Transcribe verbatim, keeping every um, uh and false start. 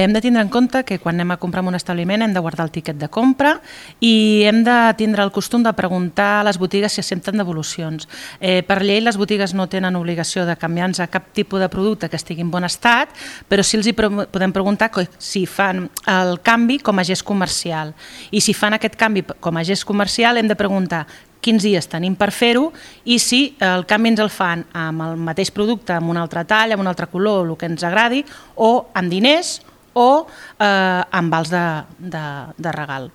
Hem de tindre en compte que quan anem a comprar en un establiment hem de guardar el tiquet de compra i hem de tindre el costum de preguntar a les botigues si accepten devolucions. Eh, per llei les botigues no tenen obligació de canviar-nos a cap tipus de producte que estigui en bon estat, però sí els hi podem preguntar si fan el canvi com a gest comercial. I si fan aquest canvi com a gest comercial hem de preguntar quins dies tenim per fer-ho i si el canvi ens el fan amb el mateix producte, amb un altre tall, amb un altre color, el que ens agradi, o amb diners o eh, amb vals de, de, de regal.